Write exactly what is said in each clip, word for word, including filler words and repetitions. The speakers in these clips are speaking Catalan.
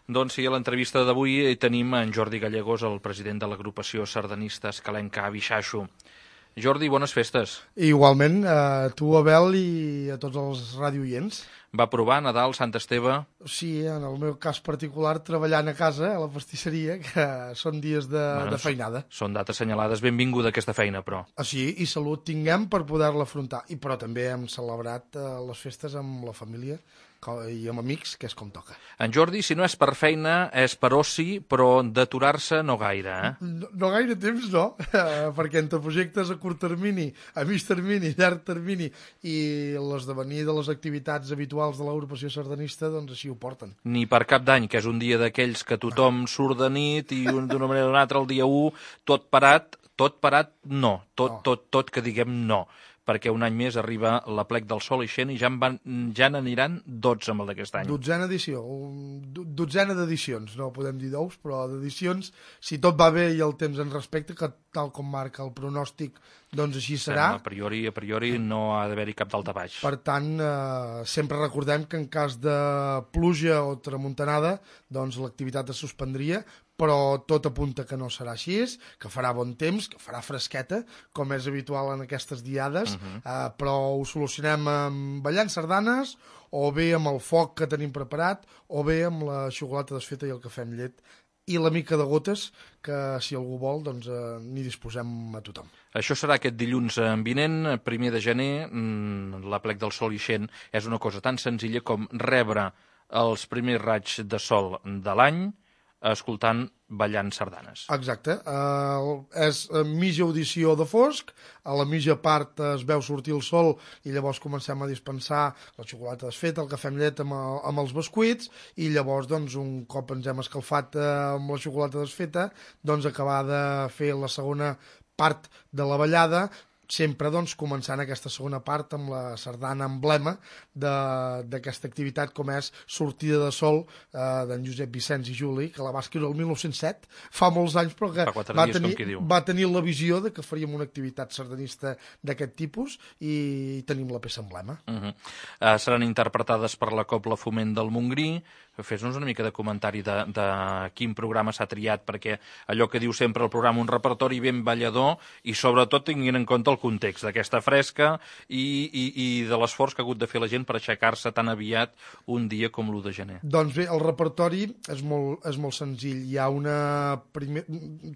Doncs sí, a l'entrevista d'avui tenim en Jordi Gallegos, el president de l'agrupació sardanista escalenca Bixaixo. Jordi, bones festes. Igualment, a tu, Abel, i a tots els radioients. Va provar Nadal, Sant Esteve? Sí, en el meu cas particular, treballant a casa, a la pastisseria, que són dies de, bueno, de feinada. Són dates assenyalades. Benvinguda aquesta feina, però. Ah, sí, i salut tinguem per poder-la afrontar. I però també hem celebrat eh, les festes amb la família i amb amics, que és com toca. En Jordi, si no és per feina, és per oci, però d'aturar-se no gaire, eh? No, no gaire temps, no, perquè entre projectes a curt termini, a mig termini, llarg termini i l'esdevenir de les activitats habituals de l'agrupació sardanista, doncs així ho porten. Ni per Cap d'Any, que és un dia d'aquells que tothom surt de nit i d'una manera o d'una altra el dia u, tot parat, tot parat, no. Tot, tot, tot que diguem no. Perquè un any més arriba l'Aplec del Sol ixent i ja, en van, ja n'aniran dotze amb el d'aquest any. Dotzena edició, dotzena d'edicions, no podem dir d'ous, però d'edicions, si tot va bé i el temps en respecte, que tal com marca el pronòstic, doncs així serà. A priori, a priori no ha d'haver-hi cap dalta baix. Per tant, eh, sempre recordem que en cas de pluja o tramuntanada, doncs l'activitat es suspendria, però tot apunta que no serà així, que farà bon temps, que farà fresqueta, com és habitual en aquestes diades, uh-huh. eh, però ho solucionem amb ballant sardanes, o bé amb el foc que tenim preparat, o bé amb la xocolata desfeta i el cafè amb llet, i la mica de gotes, que si algú vol, doncs eh, n'hi disposem a tothom. Això serà aquest dilluns vinent, primer de gener, l'Aplec del Sol ixent és una cosa tan senzilla com rebre els primers raigs de sol de l'any, escoltant ballant sardanes. Exacte. Uh, és mitja audició de fosc, a la mitja part es veu sortir el sol i llavors comencem a dispensar la xocolata desfeta, el cafè amb llet amb, el, amb els bescuits i llavors, doncs, un cop ens hem escalfat uh, amb la xocolata desfeta, doncs acabar de fer la segona part de la ballada, sempre doncs, començant aquesta segona part amb la sardana emblema d'aquesta activitat, com és Sortida de Sol, eh, d'en Josep Vicenç i Juli, que la va escriure el mil nou-cents set, fa molts anys, però que va dies, tenir, va tenir la visió de que faríem una activitat sardanista d'aquest tipus i tenim la peça emblema. Uh -huh. uh, seran interpretades per la Cobla Foment del Montgrí. Fes-nos una mica de comentari de, de quin programa s'ha triat, perquè allò que diu sempre el programa, un repertori ben ballador i sobretot tinguin en compte el context d'aquesta fresca i, i, i de l'esforç que ha hagut de fer la gent per aixecar-se tan aviat un dia com l'u de gener. Doncs bé, el repertori és molt, és molt senzill. Hi ha una... Primer...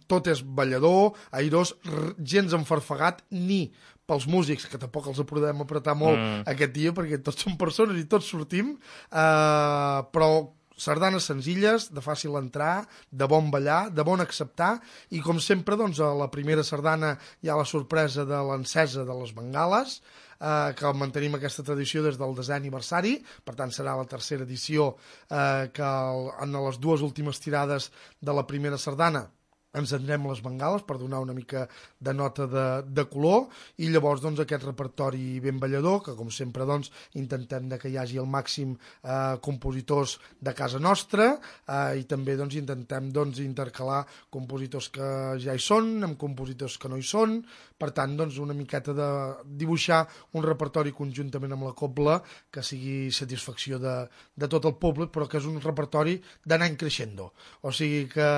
Tot és ballador, airós, gens enfarfegat, ni pels músics, que tampoc els podem apretar molt mm. aquest dia, perquè tots són persones i tots sortim, eh, però sardanes senzilles, de fàcil entrar, de bon ballar, de bon acceptar, i com sempre, doncs, a la primera sardana hi ha la sorpresa de l'encesa de les bengales, eh, que mantenim aquesta tradició des del desè aniversari, per tant serà la tercera edició eh, que el, en les dues últimes tirades de la primera sardana encendrem les bengales per donar una mica de nota de, de color i llavors doncs, aquest repertori ben ballador, que com sempre doncs, intentem de que hi hagi el màxim eh, compositors de casa nostra eh, i també doncs, intentem doncs, intercalar compositors que ja hi són amb compositors que no hi són, per tant doncs, una miqueta de dibuixar un repertori conjuntament amb la cobla que sigui satisfacció de, de tot el públic, però que és un repertori d'anar creixendo, o sigui que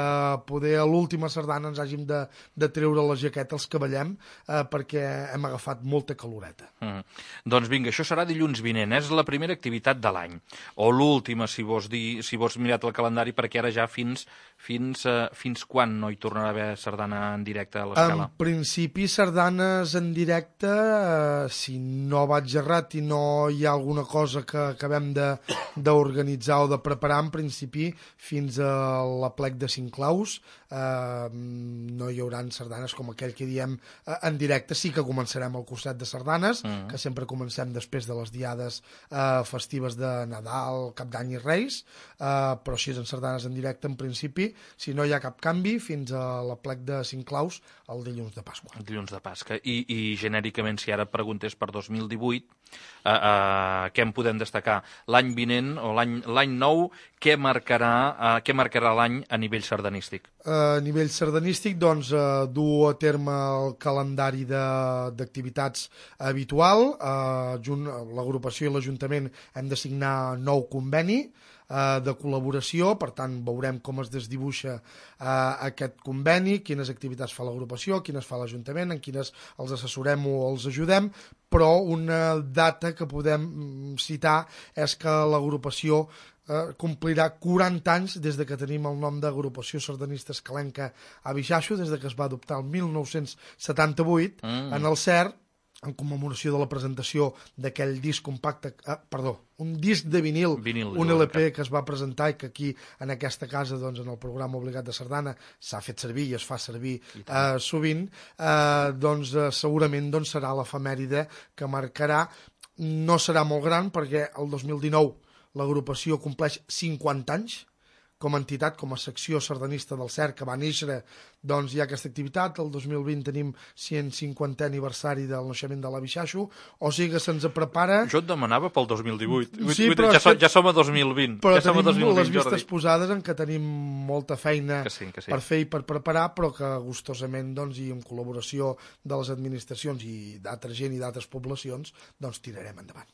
poder a l'última sardana ens hàgim de, de treure la jaqueta els que ballem eh, perquè hem agafat molta caloreta. Mm. Doncs vinga, això serà dilluns vinent, és la primera activitat de l'any, o l'última si vols dir, si vols mirat el calendari, perquè ara ja fins, fins, uh, fins quan no hi tornarà a haver sardana en directe a l'Escala? En principi sardanes en directe, eh, si no vaig errat i no hi ha alguna cosa que acabem d'organitzar o de preparar, en principi fins a l'Aplec de Cinclaus eh, no hi haurà sardanes com aquell que diem eh, en directe. Sí que començarem el curset de sardanes, mm. que sempre comencem després de les diades eh, festives de Nadal, Cap d'Any i Reis, eh, però així en sardanes en directe, en principi, si no hi ha cap canvi, fins a l'Aplec de Cinclaus el dilluns de Pasqua. El dilluns de Pasqua. I, i genèricament, si ara preguntés per dos mil divuit, eh, eh, què en podem destacar? L'any vinent o l'any nou, què marcarà, eh, què marcarà l'any a nivell sardanístic? A nivell sardanístic, doncs, eh, dur a terme el calendari d'activitats habitual. Eh, l'agrupació i l'Ajuntament hem de signar nou conveni eh, de col·laboració, per tant veurem com es desdibuixa eh, aquest conveni, quines activitats fa l'agrupació, quines fa l'Ajuntament, en quines els assessorem o els ajudem, però una data que podem citar és que l'agrupació eh, complirà quaranta anys des de que tenim el nom d'Agrupació Sardanista Escalenca a Bixaixo, des de que es va adoptar el mil nou-cents setanta-vuit mm. en el C E R, en commemoració de la presentació d'aquell disc compacte, eh, perdó, un disc de vinil, vinil un L P que es va presentar i que aquí, en aquesta casa, doncs, en el programa Obligat de Sardana, s'ha fet servir i es fa servir eh, sovint, eh, doncs eh, segurament doncs, serà l'efemèride que marcarà. No serà molt gran perquè el dos mil dinou l'agrupació compleix cinquanta anys com a entitat, com a secció sardanista del C E R, que va néixer, doncs hi ha aquesta activitat. El dos mil vint tenim cent cinquantè aniversari del naixement de la Bixaixo, o sigui que se'ns prepara... Jo et demanava pel dos mil divuit. Sí, però ja, som, ja som a dos mil vint. Però ja som tenim a dos mil vint, les vistes Jordi. posades en què tenim molta feina que sí, que sí. per fer i per preparar, però que gustosament, doncs, i en col·laboració de les administracions i d'altra gent i d'altres poblacions, doncs tirarem endavant.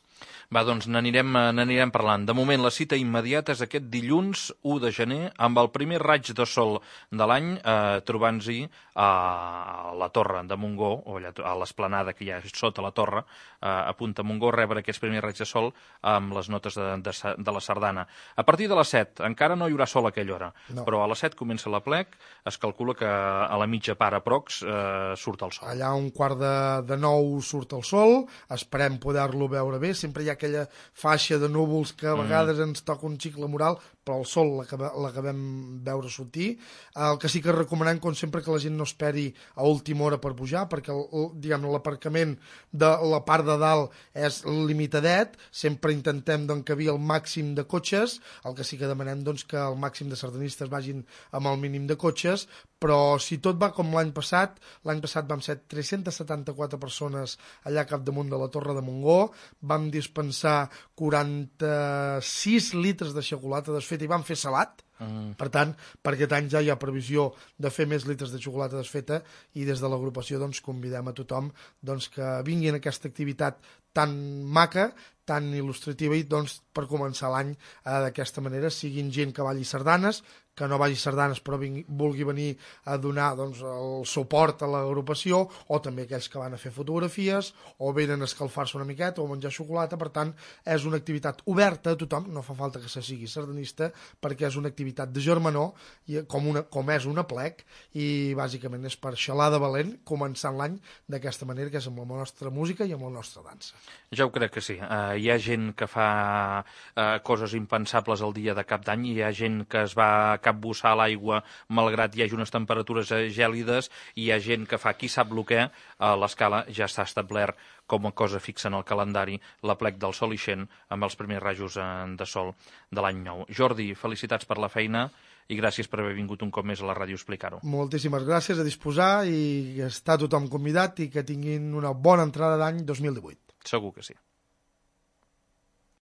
Va, doncs n'anirem n'anirem parlant. De moment, la cita immediata és aquest dilluns u de gener, amb el primer raig de sol de l'any, eh, trobant-s'hi a la Torre de Montgó, o allà, a l'esplanada que hi ha sota la torre, eh, a Punta Montgó, rebre aquests primers raigs de sol amb les notes de, de, de la sardana. A partir de les set, encara no hi haurà sol a aquella hora, no. Però a les set comença l'aplec, es calcula que a la mitja part aprox eh, surt el sol. Allà a un quart de, de nou surt el sol, esperem poder-lo veure bé, sempre hi ha aquella faixa de núvols que a vegades mm. ens toca un xic la moral, però el sol l'acabem veure sortir. El que sí que recomanem, com sempre, que la gent no esperi a última hora per pujar, perquè l'aparcament de la part de dalt és limitadet, sempre intentem d'encabir el màxim de cotxes, el que sí que demanem doncs, que el màxim de sardanistes vagin amb el mínim de cotxes, però si tot va com l'any passat, l'any passat vam ser tres-centes setanta-quatre persones allà capdamunt de la Torre de Montgó, vam dispensar quaranta-sis litres de xocolata desfeta i vam fer salat. Mm. Per tant, per aquest any ja hi ha previsió de fer més litres de xocolata desfeta i des de l'agrupació doncs, convidem a tothom doncs, que vinguin a aquesta activitat tan maca, tan il·lustrativa i doncs, per començar l'any eh, d'aquesta manera, siguin gent que balli sardanes, que no vagi sardanes però vingui, vulgui venir a donar doncs, el suport a l'agrupació, o també aquells que van a fer fotografies o venen a escalfar-se una miqueta o a menjar xocolata. Per tant, és una activitat oberta a tothom, no fa falta que se sigui sardanista, perquè és una activitat de germanor, i com, una, com és un aplec, i bàsicament és per xalar de valent, començant l'any d'aquesta manera, que és amb la nostra música i amb la nostra dansa. Ja ho crec que sí. Uh, hi ha gent que fa uh, coses impensables el dia de cap d'any, hi ha gent que es va capbussar a l'aigua malgrat hi hagi unes temperatures gèlides, i hi ha gent que fa qui sap el què. A l'escala ja està establert com a cosa fixa en el calendari l'aplec del sol ixent amb els primers rajos de sol de l'any nou. Jordi, felicitats per la feina i gràcies per haver vingut un cop més a la ràdio a explicar-ho. Moltíssimes gràcies, a disposar, i està tothom convidat i que tinguin una bona entrada d'any dos mil divuit. Segur que sí.